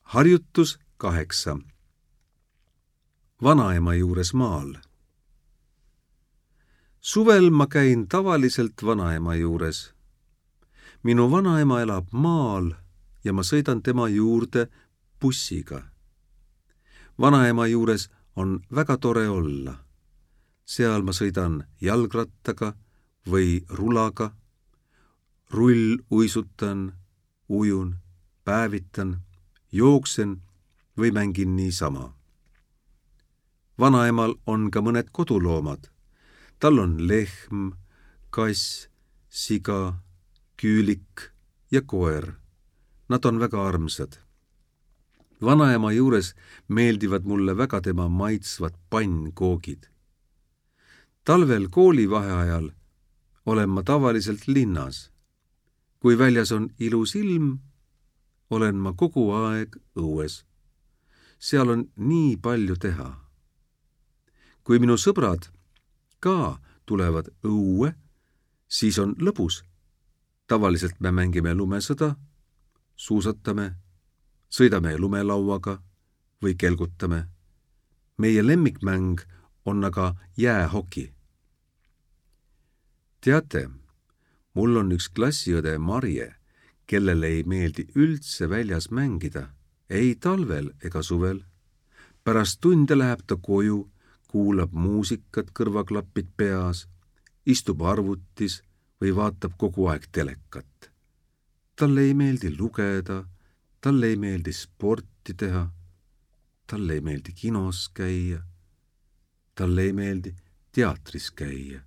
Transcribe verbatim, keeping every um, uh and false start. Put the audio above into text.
Harjutus kaheksa. Vanaema juures maal. Suvel ma käin tavaliselt vanaema juures. Minu vanaema elab maal ja ma sõidan tema juurde bussiga. Vanaema juures on väga tore olla. Seal ma sõidan jalgrattaga või rulaga, rull uisutan, ujun, päevitan, jooksen või mängin niisama. Vanaemal on ka mõned koduloomad. Tal on lehm, kass, siga, küülik ja koer. Nad on väga armsad. Vanaema juures meeldivad mulle väga tema maitsvad pannkoogid. Talvel koolivaheajal olen ma tavaliselt linnas. Kui väljas on ilus ilm, olen ma kogu aeg õues. Seal on nii palju teha. Kui minu sõbrad ka tulevad õue, siis on lõbus. Tavaliselt me mängime lumesõda, suusatame, sõidame lumelauaga või kelgutame. Meie lemmikmäng on aga jäähoki. Teate, mul on üks klassiõde Marje, kellele ei meeldi üldse väljas mängida, ei talvel ega suvel. Pärast tunde läheb ta koju, kuulab muusikat kõrvaklappid peas, istub arvutis või vaatab kogu aeg telekat. Talle ei meeldi lugeda, talle ei meeldi sporti teha, talle ei meeldi kinos käia, talle ei meeldi teatris käia.